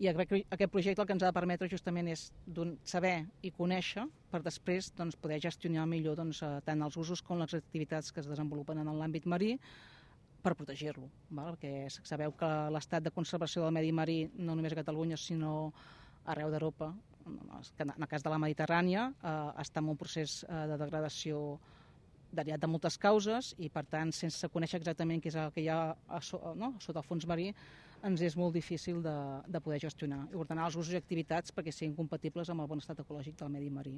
I aquest projecte el que ens ha de permetre justament és saber i conèixer per després poder gestionar millor tant els usos com les activitats que es desenvolupen en l'àmbit marí per protegir-lo, perquè sabeu que l'estat de conservació del medi marí no només a Catalunya sinó arreu d'Europa, en el cas de la Mediterrània, està en un procés de degradació derivat de moltes causes i per tant sense conèixer exactament què és el que hi ha sota el fons marí ens és molt difícil de poder gestionar i ordenar els usos i activitats perquè siguin compatibles amb el bon estat ecològic del medi marí.